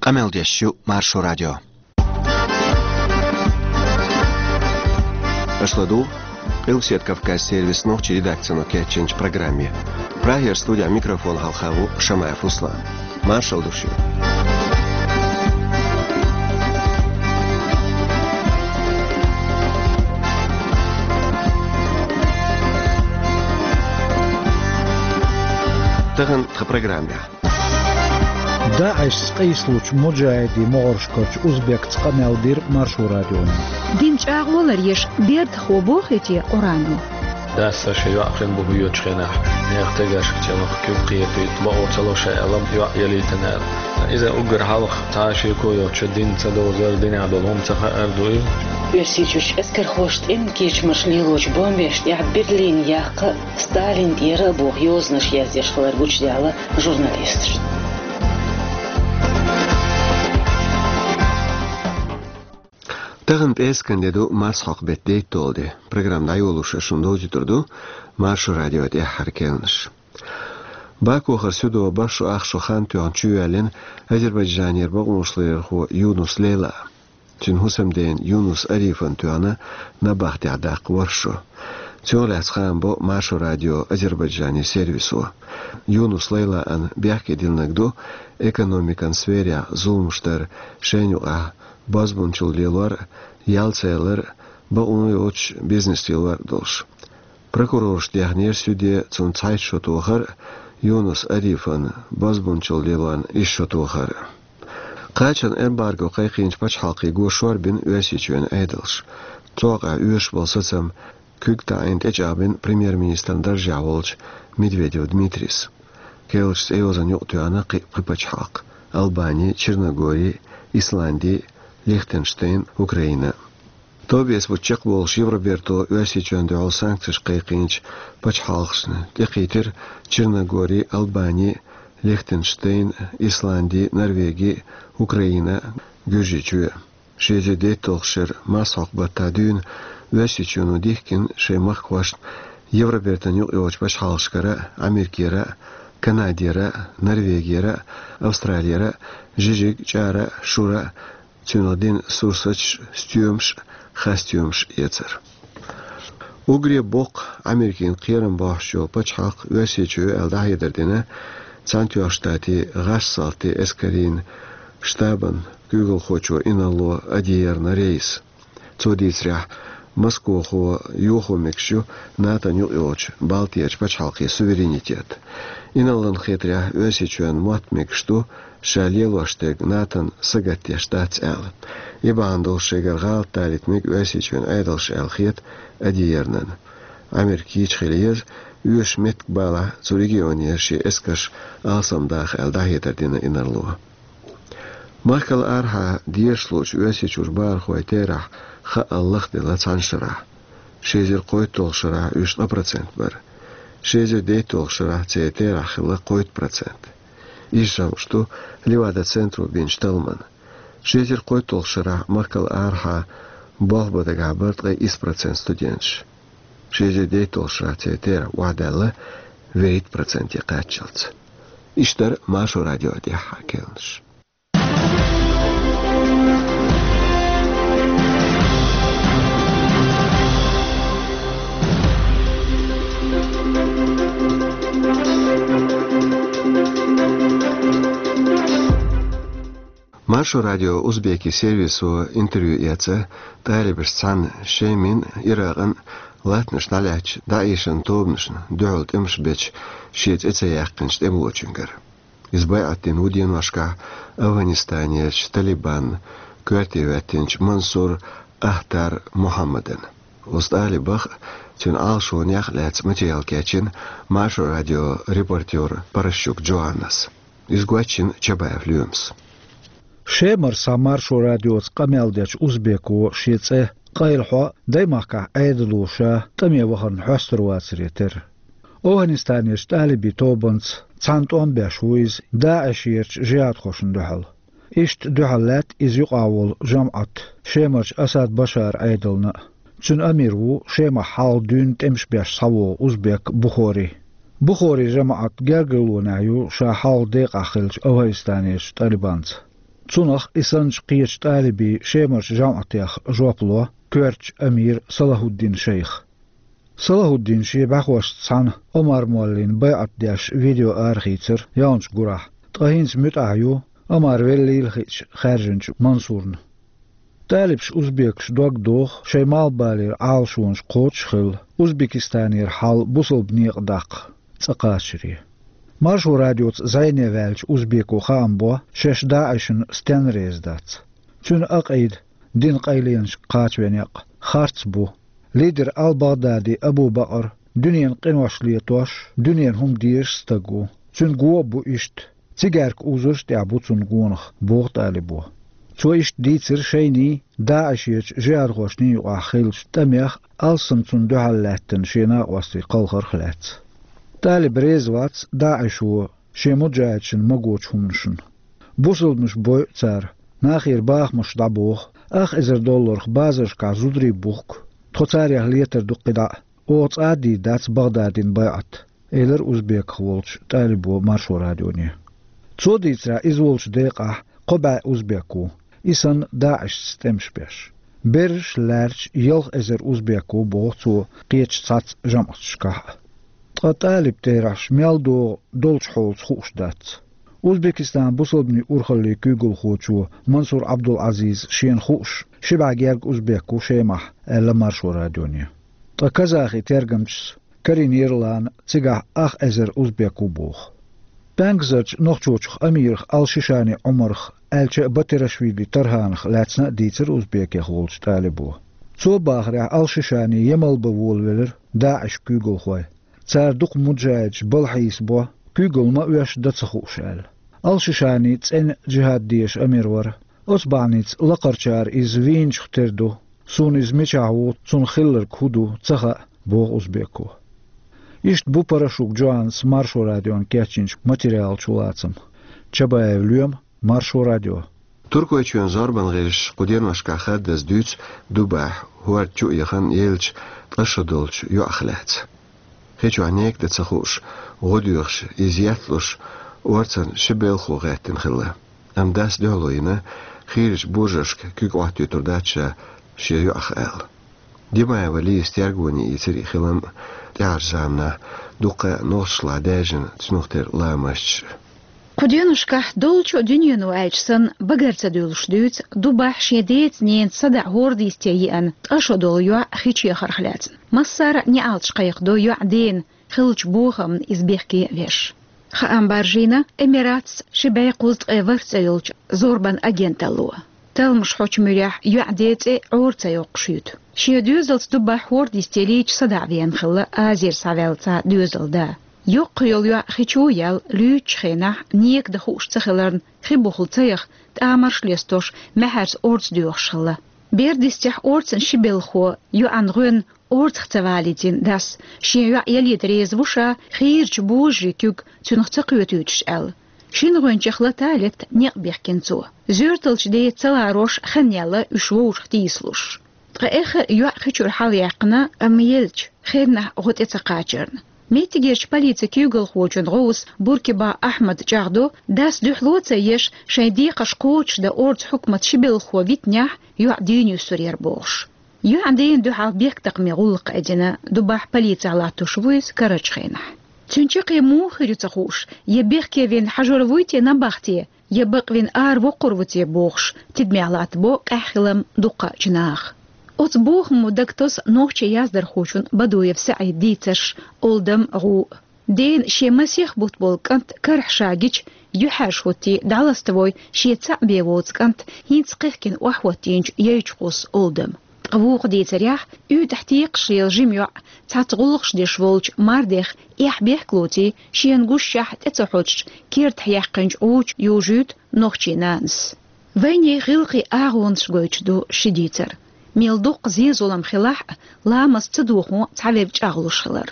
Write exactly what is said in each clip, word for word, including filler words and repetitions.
Къамел деш ю Маршо радио. Аша ладугӀу Къилбаседа Кавказан сервисан нохчийн редакцино кечйинчу программе. Прагера студехь микрофон хьалха ву Шамаев Руслан. Маршалла ду шуьга. Тахана тхан программехь. ДАИШ-ца къийсалучу муджахӀидийн могӀаршкарчу узбекца къамел дира Маршо радионо. Дин чӀагӀо ларъеш бердахо бохий те Къуръано? Дас сан шен йоӀ хин бу хьоьгучу хенахь, нехан тегашка чӀамах куьг кхетийта, бакъо ца ло ша аьлла, йоӀ ялийтина аьлла. Иза уггар хьалха цхьа а шеко йоцуш дин ца довзар, динехь долу хӀума ца хаар ду иза. Оьрсийчуьрчу эскархоша тӀеман кечамаш лелочу бомбеш тӀехь Берлин яккха Сталин тӀера а боху йозанаш яздеш хилар гучудаьлла журналисташна. Тахана пӀераскан де ду, марсхьокху беттан дейтталгӀа де. Программа дӀайолош ас шуна довзуьйтур ду Маршо радион тӀаьххьара керланаш. Бакухара суьдо бархӀ шо ах шо хан тоьхна чувоьллина Азербайджанера бакъонаш ларъярхо Юнус Лейла. Цуьнан хӀусамдена Юнус Арифана тоьхна набахтехь даккха ворхӀ шо. Цунах лаьцна хаам бо Маршо радион Азербайджанан сервисо. Юнус Лейлана бехке диллинарг ду экономикан сферехь зуламаш дар, шайна юкъахь бозбунчалла лелор, ял ца ялар, бакъо йоцуш бизнес лелор долуш. Прокурорша дехнера суьде цунна цхьайтта шо тохар, Юнус Арифана бозбунчалла лелорна исс шо тохар. Кхачанан эмбарго кхайкхийначу пачхьалкхе го шорбина Оьрсийчоьнан Ӏедалш. Цу хьокъехь оьшуш болу сацам куьг таӀийна тӀечӀагӀбина премьер-министран даржехь волчу Медведев Дмитрийс. Керлачу цӀейозанна юкъатоьхна кхин а пхи пачхьалкх: Албани, Черногори, Исланди, Лихтенштейн, Украина. Товбеца бутт чекхболуш Евроберто Оьрсийчоьнна дуьхьал санкцеш кхайкхийначу пачхьалкхашна тӀекхийтира Черногори, Албани, Лихтенштейн, Исланди, Норвеги, Украина, Гуьржийчоь. Ши эзар дейтталгӀачу шеран марсхьокху баттахь дуьйна Оьрсийчоьно дихкина шайн махкахошна Евробертан юкъайогӀучу пачхьалкхашкара, Америкера, Канадера, Норвегера, Австралера жижиг, чӀара, шура, цунах дина сурсаташ, стоьмаш, хасстоьмаш эцар. Уггаре боккха Америкина кхерам бохьуш йолу пачхьалкх Оьрсийчоь ю аьлла дӀахьедар дина Цхьаьнатоьхначу Штатийн гӀазкхийн салти эскарийн штабан куьйгалхочо Инарло Адиерна Рейса. Цо дийцарехь, Москохо йохо мегаш ю НАТОн юкъайогӀучу Балтерчу пачхьалкхийн суверенитет. Инарлан хетарехь, Оьрсийчоьнан мотт мегаш ду ша лелош дерг НАТОн сагатдеш дац аьлла. И бахьана долуш шайгара гӀалат далийта мега Оьрсийчоьнан Ӏедалша аьлла хета Адиернана. Америка йийча хила еза, оьшуш меттиг балахь, цу регионера шен эскарш алсамдаха аьлла дӀахьедар дина Инарло. Махкал арахьа дезаш луучу Оьрсийчуьра бахархойн терахь хаъал лахделла цхьана шарахь. Ши эзар кхойтталгӀачу шарахь уьш ткъа процент бара. Ши эзар дейтталгӀачу шарахь церан терахь хилла кхойтта процент. Иза шамаш ду Левада-центро бинчу талламан. Ши эзар кхойтталгӀачу шарахь махкал арахьа болх бан дагахь бара ткъе исс процент студенташ. Ши эзар дейтталгӀачу шарахь церан терахь охьадаьлла вуьрхӀитта проценте кхаччалц. Иштта дара Маршо радион тӀаьххьара керланаш. Маршо радион узбекийн сервисо интервью эцна талибашца цхьаьна Шеман, Иракъан латтанаш дӀалаьцначу ДАИШ-ан тобанашна дуьхьал тӀемаш бечу шен цӀе ца яьккхинчу тӀемалочуьнгара. Иза байӀат дина ву деношкахь Афганистанерчу Талибанна коьрте хӀоьттинчу Мансур Ахтар Мухьаммадана. Оцу талибах а, цуьнан Ӏалашонех а лаьцна материал кечйина Маршо радион репортёра Паращук Джоаннас. Иза гочйина Чабаев Лоьмас. Шемара схьа Маршо радиоца къамел дечу узбеко шен цӀе къайлахьо даймахкахь Ӏедало ша тӀаме вахарна хьоьстур вацаре терра. Афганистанерчу талибийн тобанца цхьаьна тӀом беш ву иза ДАИШ-ерчу жихӀадхошна дуьхьал. Иштта дуьхьал лаьтта иза юкъахь волу жамаӀат Шемарчу Асад Башаран Ӏедална а. Цуьнан амир ву Шемахь хьалха дуьйна тӀемаш беш схьавогӀу узбек Бухори. Бухорин жамаӀат гергарлонехь ю ша хьалха декъахь хиллачу Афганистанерчу талибанца. Цунах и санначу кхечу тӀалибийн Шемарчу жамӀатех жоп ло коьртачу амира Салахуддин шайх. Салахуддин шен бӀаьхошца цхьаьна Омар-моллина байӀат деш видео арахийцира ялханчу гурахь, ткъа хӀинца муьтӀахь ю Омар веллийла хиъча хаьржинчу Мансурна. ТӀалибаш, узбекаш дог доху шайн малхбалера Ӏалашонаш кхочуш а хилла, Узбекистанера хьал бусалба некъа даккха цӀа кхачаре. Маршо радиоца зӀене ваьллачу узбеко хаам бо шаьш ДаӀишна стенна реза дац. Цуьнан акъида, динан къайленашка кхачаве некъ, харц бу. Лидер Ал-Багъдади Абу-Бакъар дуьненан къинош летош, дуьненан хӀума дезаш стаг ву. Цуьнан го а бу иштта, цигаьрка узарш а тӀехь бу цунна гонах, боху тӀалибо. Цо иштта дийцира шайний, ДаӀишечу жихӀадхошний юкъахь хиллачу тӀамех, алссам цунна дуьхьал лаьттина шен накъостий кхалхарх а лаьцна. ТӀалиб реза вац ДаӀишо шен муджахӀидашна магочу хӀуманашна. Бусалбанаш бойу цара, нахера бахамаш дӀабоху, ах эзар долларх базаршкахь зударий бухку, тхо царех летар ду кхидӀа а, оха цкъа а дийр дац Багъдадина байӀат, элира узбеках волчу тӀалибо Маршо радионе. Цо дийцарехь, иза волчу декъахь кхо бӀе узбек ву, и санна ДаӀишца тӀемаш беш. Берриш а лаьрча ялх эзар узбек ву, боху цо, кхечу цхьацца жамӀаташкахь а. Ткъа тӀалиб терахьаш мел догӀу долчу хьолца хууш дац. Узбекистанан бусалбанийн урхаллин куьйгалхочо Мансур Абдул-Ӏазиза шена хууш, ши бӀе гергга узбек ву Шемахь, аьлла Маршо радионе. Ткъа казахи тергамчас карийнера лана цигахь ах эзар узбек ву боху. ПӀаьнкзарчу Нохчочух амирах Ал-Шишани Ӏумарах, аьлча а Батирашвили Тарханах лаьцна а дийцира узбекех волчу тӀалибо. Цо бахарехь, Ал-Шишани Ямал бан волавелира ДаӀишан куьйгалхой. Цара дукха муджахӀидаш балхьийса бо, куьйгалла ма оьшу, дан ца хууш аьлла. Ал-Шишани цӀена джихӀад дезаш амир вара. Оцу бахьаница лакхарчара иза вийначух тера ду. Суна иза мичахь ву, цунах хилларг хӀун ду, ца хаьа, боху узбеко. Иштта бу Порошук Джоаннас Маршо радиона кечйинчу материалан чулацам. Чабаев Лоьма, Маршо радио. Туркойчоьнан зорбан гӀирсаша кху деношкахь хаддаза дуьйцу Дубахь хӀорда чу а яхана еллачу ткъа шо долчу йоӀах лаьцна. Хи чохь нека дан ца хууш, гӀо доьхуш, иза етталуш, орцан ши белхо гӀеттина хилла. Амма дас дуьхьало йина, хийрачу божаршка куьг Ӏоттуьйтур дац ша шен йоӀах аьлла. Димаева Лизас тергоне ийцира и хилам а, тӀаьхьарчу заманахь дуккха а нохчашлахь даьржина цунах тера ламасташ а. Кху деношкахь долчу а дуьнено аьлча санна, багара ца дуьллуш дуьйцу Дубахь шен деца-ненаца садаӀа хӀорда йисте еана ткъа шо долу йоӀ хи чу яхарх лаьцна. Массара а неӀалташ кхайкхадо йоӀан дена, хиллачу бохамна иза бехке а веш. Хаам баржийна Эмиратца ши бӀе кхузткъе ворхӀ цӀе йолчу зорбан агенталло. Талламаш хьочу муьрехь йоӀан ден цӀе Ӏора ца йоккхуш юьту. Шен доьзалца Дубахь хӀорда йисте лийча садаӀа веана хилла Азера схьаваьлла цхьа доьзалан да. Йоккха йолу йоӀ хи чу а яьлла, луьйчучу хенахь нека дан хууш ца хиларна, хи бухахь ца яха, тӀамарш а лестош, маьхьарца орца доьхуш хилла. Бер дистехь, орцан ши белхо йоӀан гӀоьнна орцах ца валийтина дас, шен йоӀ ялийта реза ву ша, хийрачу божарийн куьг цуьнах ца кхетуьйтуш аьлла. Шина гӀоьнчех лата а летта некъ бехкина цо. Зоьрталчу деца ца ларош хан яьлла уьш вовшах тийсалуш. Ткъа эххар а йоӀ хи чуьра хьалаяьккхина, амма еллачу хеннахь гӀо тӀе ца кхачарна. Меттигерчу полицин куьйгалхочун гӀовс Буркиба Ахьмада чӀагӀдо, дас дуьхьало а ца еш, шайн декхарш кхочушдан орцан хьукматан ши белхо витинехь, йоӀ дийна юьсур яра бохуш. ЙоӀан дена дуьхьал бехктакхаман гӀуллакх а дина, Дубахь полицехь латтош ву иза карарчу хенахь. Цуьнан чаккхе муха хир ю ца хууш, я бехке вина хьажор вуй те набахте, я бакъвина аравоккхур ву те бохуш, тидамехь латтабо къаьхьа хилам дуккхачу наха. Оцу бохамо дагатосу нохчийн яздархочун Бадуев СаӀидан дийцарш, Олдам, гӀу. Дена шен масех бутт болу кӀант карахь ша гича, юьхьӀаьржа хӀоттий, дӀаластавой шен цхьаъ бен воцу кӀант хӀинца кхехкина охьахӀоттийначу яйчу кхуссу Олдам. Ткъа вукху дийцарехь, уьйтӀахь текхаш лела жима йоӀ цхьацца гӀуллакхаш деш волчу мардех эхь-бехк лоций, шена гушшехь тӀе ца хьоччу, кертахь яьккхинчу гӀу чу южуьйту нохчийн нанас. Вайне гӀиллакхийн агӀонаш гойтуш ду ши дийцар. Мел дуккха зен-зулам хилахь а, ламаст ца дохо цхьаверг чӀагӀлуш хилар.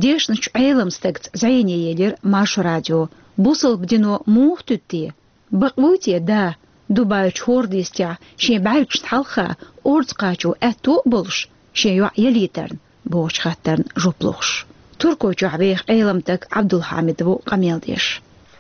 Дешначу Ӏеламстагца зӀене елира Маршо радио: бусалба дино муха туьду те? Бакъ вуй те да, Дубайчу хӀорда йистехь шен бӀаьргашна хьалха орца кхачо аьтто а болуш, шен йоӀ ялийтарна, бохучу хаттарна жоп лохуш? Туркойчохь веха Ӏеламстаг Ӏабдулхьамид ву къамел деш.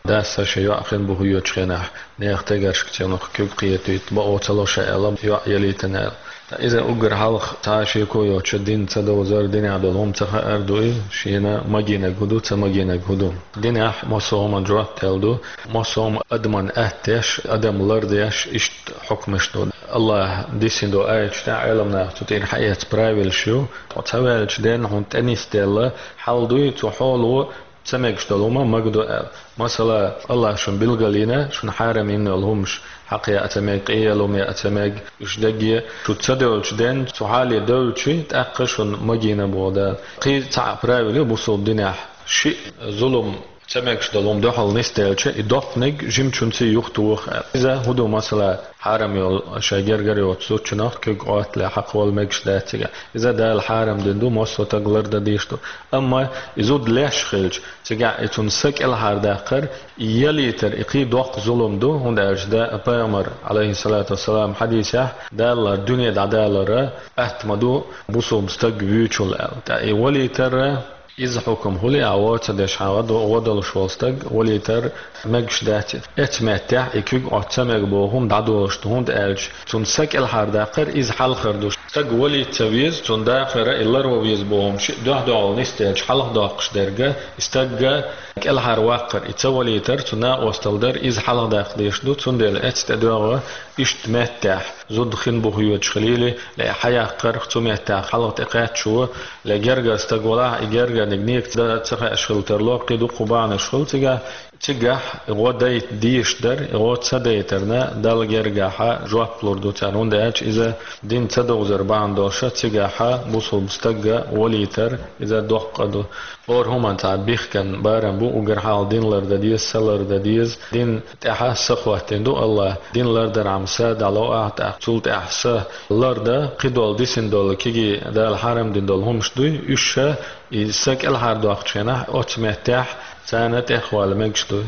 Дас шен йоӀ хин бу хьоьгучу хенахь, нехан тегаршка цунах куьг кхетийта бакъо ца ло ша аьлла, йоӀ ялийтина аьлла. Ткъа иза уггар хьалха цхьа а шеко йоцуш дин ца довзар, динехь долу хӀума ца хаар ду и, шена магийнарг хӀун ду, ца магийнарг хӀун ду. Динехь массо а хӀуманна жоп делла ду, массо а хӀума адаман атта деш, адам лар деш, иштта хьукмаш ду. АллахӀа диссина долу аяташ тӀехь Ӏеламнаха цу тӀера хьаэцна правилаш ю. Ткъа ца ваьллачу денна хьуна тӀе нисделла хьал дуй, цу хьоло ца мегаш долу хӀума магадо аьлла. Масала, АллахӀа шуна билгалйина, шуна хьарам йина йолу хӀумаш, хьакха яа ца мега, къе яа хӀума яа ца мега, уьш дагге, шу ца девллачу денна, цу хьале девлчи, тӀаккха шуна магийна боху Дала. Кхин цхьа а правила ю бусулба динехь, шиъ зулам ца мегаш долу хӀума дуьхьал нисделча, и доккханиг жимачуьнца юхатоха аьлла. Иза хӀун ду, масала, хьарам йолу шайн гергара йоцу зудчунах куьг Ӏоттале хьакхавала мегаш дац цигахь. Иза Дала хьарам дина ду, массо а стаг лардан дийш ду. Амма и зуда леш хилча, цигахь и цунна са кӀелхьардаккхар, и ялийтар, и кхин доккха зулам ду, хӀунда аьлча да, пайхамар, Ӏалайхиссалату вассалам, хьадисехь, Дала дуьне дӀадалара атта ма ду бусулба стаг вуьйчул аьлла. ТӀаккха и валийтар, иза хьукам хӀули а гӀо ца деш хьан гӀо до-, гӀо долуш волу стаг валийтар мегаш дац. Эцу меттехь и куьг Ӏотта ца мега боху хӀума дӀадолуш ду, хӀунда аьлча цунна са кӀелхьардаккхар иза хьалхар ду. Стаг валийта ца веза, цунна дахара и ларван веза боху хӀума шиъ дуьхь-дуьхьал нисделча хьалха доккхуш дерг, и стагга кӀелхьарваккхар, и ца валийтар, цу накъосталла дар, иза хьалхадаккха дезаш ду, цундела эцу тӀедоьгӀу иштта меттехь, зуда хин бу хьоьгуш хилийла, ле хьаяккхарх цу меттехь хьалха тӀекхаьччо, ле гергара стаг валахь, и гергарниг некаца ца хаьаш хила тарло, кхин дуккха бахьанаш хуьлу цигахь, цигахь гӀо дайта дезаш дара, и гӀо ца дайтарна, Далла гергахьа жоп лур ду царна, хӀунда аьлча иза дин ца довзар бахьана долуша, цигахьа бусулба стагга валийтар, иза доккха ду. ХӀора хӀуманца бихкан барам бу, уггар хьалха дин лардан деза, са лардан деза. Дин тӀехь са хӀоттийна ду АллахӀа. Дин лардархьама са дӀало ахь, тӀаккха цул тӀаьхьа са лардан, кхидолу дисина долу, кегий Дала хьарам дина долу хӀумаш дуй, уьш ша и са кӀелхьардоккхучу хенахь оцу меттехь царна тӀехвала мегаш дуй.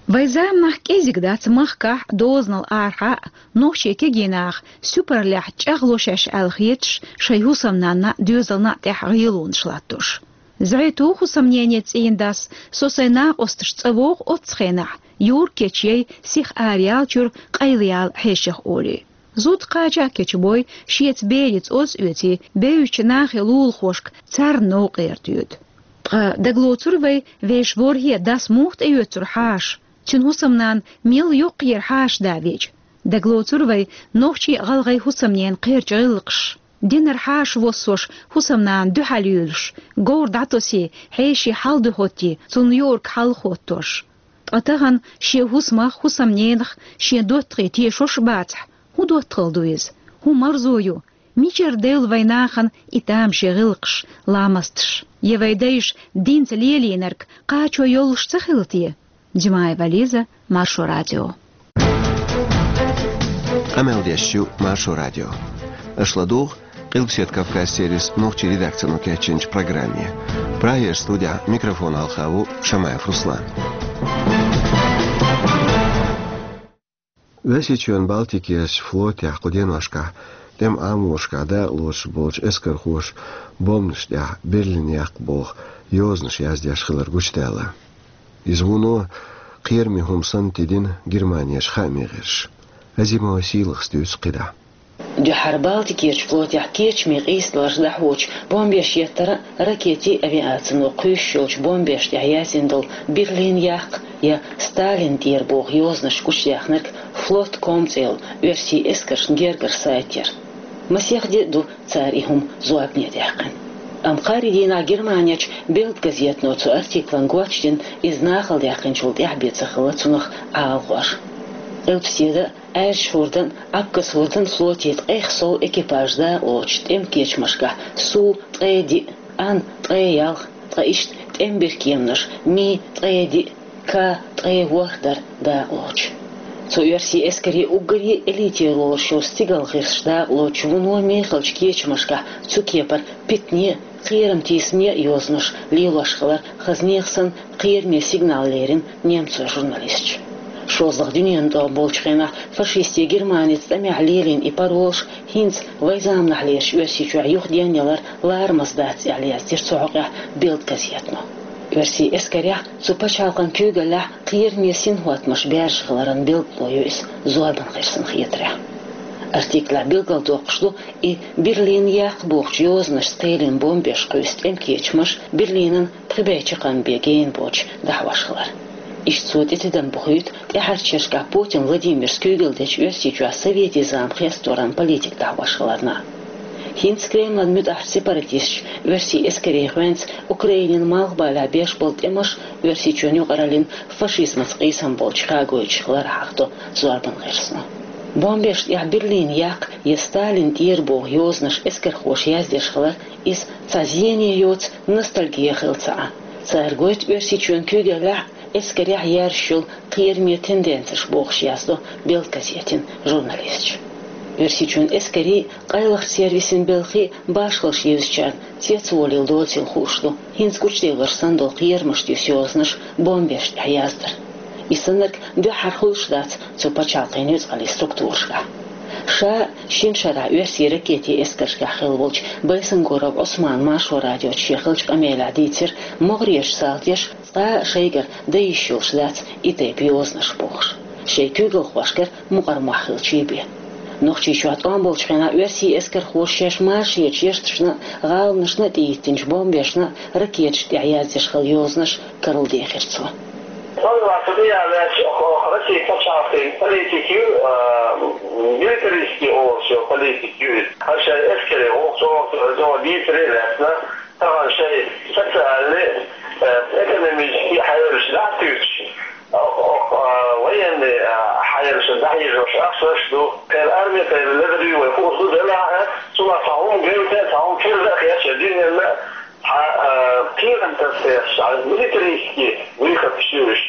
Вайн заманахь кӀезиг дац махкахь, дозанал арахьа а, нохчийн кегий наха суьпарлехь чӀагӀло шаьш аьлла хеташ, шайн хӀусамнанна, доьзална а тӀехь гӀелонаш латтош. ЗӀе ту хӀусамнене цӀийнан дас, со сайн накъосташца вогӀу оццу хенахь, юрг кечъяй, сиха араяьллачуьра къайлаяьлла хьешех олий. Зуда кхача а кечбой, шеца бераца оз а оьций, бевзачу нахе лулахошка царна новкъара тоьду. Ткъа дагалоцур вай, вешан ворхӀе дас муха тӀеоьцура хьаша, цуьнан хӀусамнана мел йоккхаера хьаша да веча. Дагалоцур вай, нохчийн а гӀалгӀайн хӀусамненан кхерча гӀиллакхаш. Динара хьаша воссош, хӀусамнана дуьхьал юьйлуш, говр дӀатосий, хьеший хьал дуьхьуьттий, цунна юург хьалхоттош. Ткъа тахана шен хӀусамах, хӀусамненах, шен доттагӀий тешош а бацахь, хӀун доттагӀалла ду иза? ХӀун марзо ю? Мичара девлла вайн нахана и тамашийна гӀиллакхаш, ламасташ? Я вайн дайша динца лелийнарг кхачо йолуш ца хилла те? Димаева Лиза, Маршо радио. Къамел деш ю Маршо радио. Аша ладугӀу Къилбаседа Кавказ сервисан нохчийн редакцино кечйинчу программе. Прагера студехь микрофон хьалха ву Шамаев Руслан. Оьрсийчоьнан Балтикерчу флотехь кху деношкахь тӀеман Ӏаморашкахь дакъалоцуш болчу эскархоша бомбанаш тӀехь берлин яккха боху йозанаш яздеш хилар гучудаьлла. Иза вуно кхераме хӀума санна тидина Германерчу хааман гӀирсаша. Азимова Сийлахас дуьйцу кхидӀа. Дуьххьара Балтикерчу флотехь кечаме къийсадаларш дӀахьочу бомбеш еттара а, ракетийн авиацино кхуьйсуш йолчу бомбеш тӀехь яздина долу берлин яккха я Сталин тӀера боху йозанаш гучудаьхнарг флот ком цӀе йолу оьрсийн эскаршна гергара сайт яра. Масех де а ду цара и хӀума зорбане даьккхина. Амма кхаарин дийнахь Германерчу Билд газетано цу артиклан гоч дина, иза нахала даьккхинчул тӀаьхьа бен ца хилла цунах Ӏалахор. Къилбаседа, Аьржа хӀордан а, Ӏабказ хӀордан а флотийн ткъех сов экипаж дакъалоцуш тӀеман кечамашкахь Су ткъе диъ, Ан ткъе ялх, ткъа иштта тӀеман биркеманаш Ми ткъе диъ, К ткъе ворхӀ дара дакъалоцуш. Цу оьрсийн эскарийн уггаре элитера лоруш йолу стигалгӀирсаш дакъалоцуш вуно мехалчу кечамашкахь цу кепара питане а, кхерам тийсаме а йозанаш лелош хилар хаза нехан санна кхераме сигнал лерина немцойн журналисташа. ШолгӀа дуьненан тӀом болчу хенахь фашистийн Германица тӀамехь лелийна и паролаш хӀинца вайн заманахьлерчу Оьрсийчохь юхаденна ялар ларамаза дац аьлла яздира цу хьокъехь Билд газетано. Оьрсийн эскарехь, цу пачхьалкхан куьйгаллехь кхераме синхӀоттамаш баьржа хиларан билгало ю иза зорбан гӀирсан хетарехь. Артиклехь билгалдоккхуш ду и Берлин яккха бохучу йозанашца кхелина бомбеш кхуьйсу тӀеман кечамаш Берлинан пхи бӀе чаккхарма бен гена боцуш дӀахьош хилар. Иштта цо тӀетидам бохуьйту тӀаьхьарчерашкахь Путин Владимира куьйгалла дечу Оьрсийчохь советийн зама хестош йолу политика дӀахьош хиларна. ХӀинца Кремлан муьтӀахь сепаратисташа оьрсийн эскарийн гӀоьнца Украинин малхбалехь беш болу тӀемаш Оьрсийчоьнан юкъараллин фашизмаца къийсам болчу хагойтуш хилар хьахадо зорбан гӀирсано. Бомбешна тӀехь Берлин яккха я Сталин тӀера боху йозанаш эскархоша яздеш хилар, иза цхьа зене йоцу ностальги хилла ца Ӏа. Цара гойту Оьрсийчоьнан куьйгаллехь эскарехь яьржаш йолу кхераме тенденцеш бохуш, яздо «Белд» газетан журналисташа. Оьрсийчоьнан эскарийн, къайлахчу сервисийн белхийн башхаллаш евзачарна цецволийла доцийла хууш ду хӀинца гучуделларш санна долу кхерамашна юьсу йозанаш бомбешна тӀехь яздар. И саннарг дуьххьара хуьлуш дац цу пачхьалкхийн нуьцкъаллийн структурашкахь. Ша шина шарахь оьрсийн ракетийн эскаршкахь хилла волчу Байсангуров Ӏусмана Маршо радиоца шен хиллачу къамелехь дийцира, могӀарерчу салташа цкъа а шайгара дан йиш йолуш дац и тайпа йозанаш бохуш. Шайн куьйгалхошкара мукъар мохь хилчий бен. Нохчийчохь тӀом болчу хенахь оьрсийн эскархоша шаьш машаречу яьрташна а, гӀаланашна а тӀеиттинчу бомбешна а, ракеташна тӀехь яздеш хилла йозанаш карладехира цо. Сан вац тӀе а ваьлча, оха Россин пачхьалкхийн политика ю, а, милитаристский олуш йолу политика ю иза. Хьан шайн эскарийн гӀуллакх чӀогӀа дийцаре а лаьцна, тахана шайн социальный, э, экономический хьелаш дӀа а туьйсуш, а, а, военный, а, хьелаш дӀахьежош ахчанаш ду. Кхин арми, кхин ледарий вай хууш ду делахь а, цунах цхьа хӀума гайта, цхьа хӀума кирда а хеташ, дуьненна цхьа, а, кхерам тасдеш, цхьа милитаристский выход чуьйш.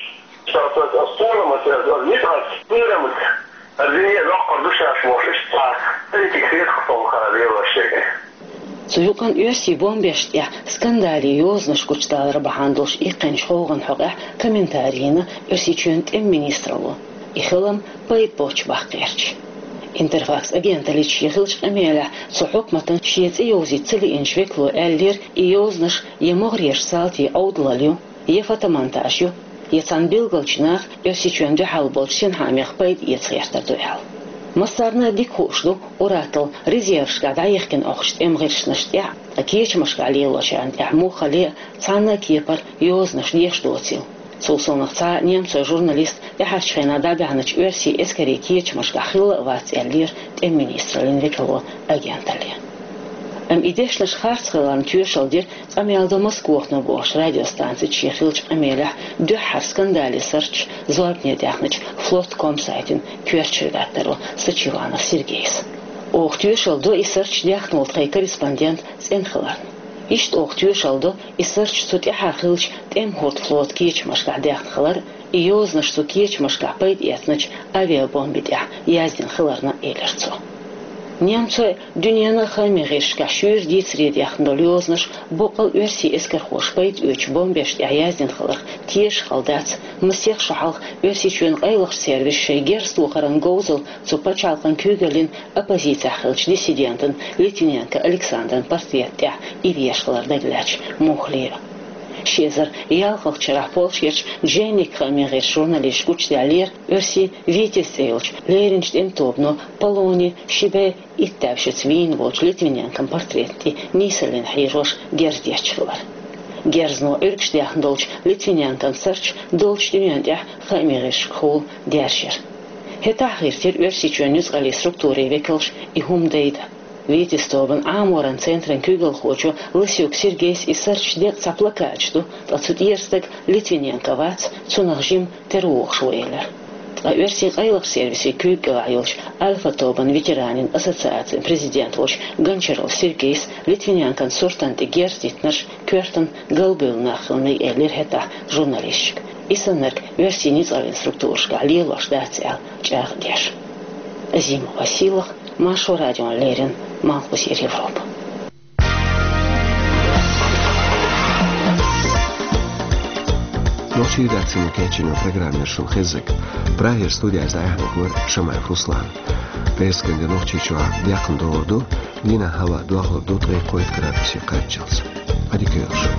Ша аса, аса толам аса, аса ницкъаца кхерамца, аса дуьне доккхур ду шаьш бохуш, иштта цхьа политика хетахь, со хаа лелош ерг. Цу юкъанна оьрсийн бомбешна тӀехь скандале йозанаш гучудалар бахьана долуш иккхинчу гӀовгӀан хьокъехь комментари йина Оьрсийчоьнан тӀеман министралло. И хилам пайда боцуш баккхийча. Интерфакс агенталлица шен хиллачу къамелехь цу хьукматан шен цӀе йовзийта ца лиъначу векало аьллера, и йозанаш я могӀарерчу салтийн Ӏовдалалла ю, я фотомонтаж ю, я цхьана билгалчу наха Оьрсийчоьнна дуьхьал болчу синхаамех пайда эца гӀертар ду аьлла. Массарна а дика хууш ду, уьттазза резервашкахь дӀаяхкина Ӏохкучу тӀеман гӀирсашна тӀехь, ткъа кечамашкахь лелочарна тӀехь муххале а цхьана а кепара йозанаш деш доцийла. Цул совнаха цхьа а немцойн журналист тӀаьхьарчу хенахь дӀабаьхьначу оьрсийн эскарийн кечамашкахь хилла а вац, аьллера тӀеман министраллин векало агенталле. Амма и дешнаш харц хиларна тоьшалла дира «Къамел ду Москвахно» бохучу радиостанцица шен хиллачу къамелехь дуьххьара скандале сарчаш зорбане даьхначу Флот ком сайтан коьртачу редакторо Сачиванов Сергейс. Оха тоьшалла до и сарчаш даьхна волу тхайн корреспондент цӀена хиларна. Иштта оха тоьшалла до и сарчаш цу тӀаьхьара хиллачу тӀеман хӀордан флотан кечамашкахь даьхна хилар, и йозанаш цу кечамашкахь пайда эцначу авиабомби тӀехь яздина хиларна, элира цо. Немцойн, дуьненан а хаамийн гӀирсашкахь шуьйра дийцаре даьхна долу йозанаш боккъал оьрсийн эскархоша пайда оьцучу бомбешна тӀехь яздина хиларх тешаш хала дац масех шо хьалха Оьрсийчоьнан къайлахчу сервиса шайн герз тохаран говзалла цу пачхьалкхан куьйгаллин оппозицехь хиллачу диссидентан Литвиненко Александран портретна тӀехь иръеш хилар дагалаьцначу муххале а. Ши эзар ялхалгӀачу шарахь Польшерчу «Дженник» хаамийн гӀирсан журналисташа гучудаьллера оьрсийн «Витязь» цӀе йолчу леринчу тӀеман тобано Полони ши бӀе итт даьвшица вийна волчу Литвиненкон портретна тӀе нийсаллина хьийжош герз детташ хилар. Герзано Ӏуьргаш даьхна долчу Литвиненкон сарчо долчу дуьненна тӀехь хаамийн гӀирсашкахула даьржира. ХӀетахь а гӀиртира Оьрсийчоьнан нуьцкъаллийн структурийн векалша и хӀума дайдан. «Витязь» тобанан Ӏаморан центран куьйгалхочо Лысюк Сергейс и сарчаш декъа цхьа плакаташ ду, ткъа цу тӀера стаг Литвиненко вац, цунах жима тера вогӀуш ву, элира. Ткъа оьрсийн къайлахчу сервисийн куьйгаллехь йолчу «Альфа» тобанан ветеранийн ассоциацин президент волчу Гончаров Сергейс Литвиненкон суртана тӀе герз диттинарш коьртана галбевлла нах хила мега, элира хӀетахь журналисташка. И саннарг оьрсийн нуьцкъаллийн структурашкахь лелош дац аьлла чӀагӀдеш. Азимова Сийлаха, Маршо радиона леррина, Малхбузера Европа. Нохчийн редакцино кечйина программа яра шуна хезнарг. Прагера студехь иза дӀаяьхьнарг вара Шамаев Руслан. Пхьерсаган де Нохчийчохь декхна догӀур ду, дийнахь хӀаваъ дохлур ду ткъе кхойтта градусе кхаччалц. Ӏадика йойла шун.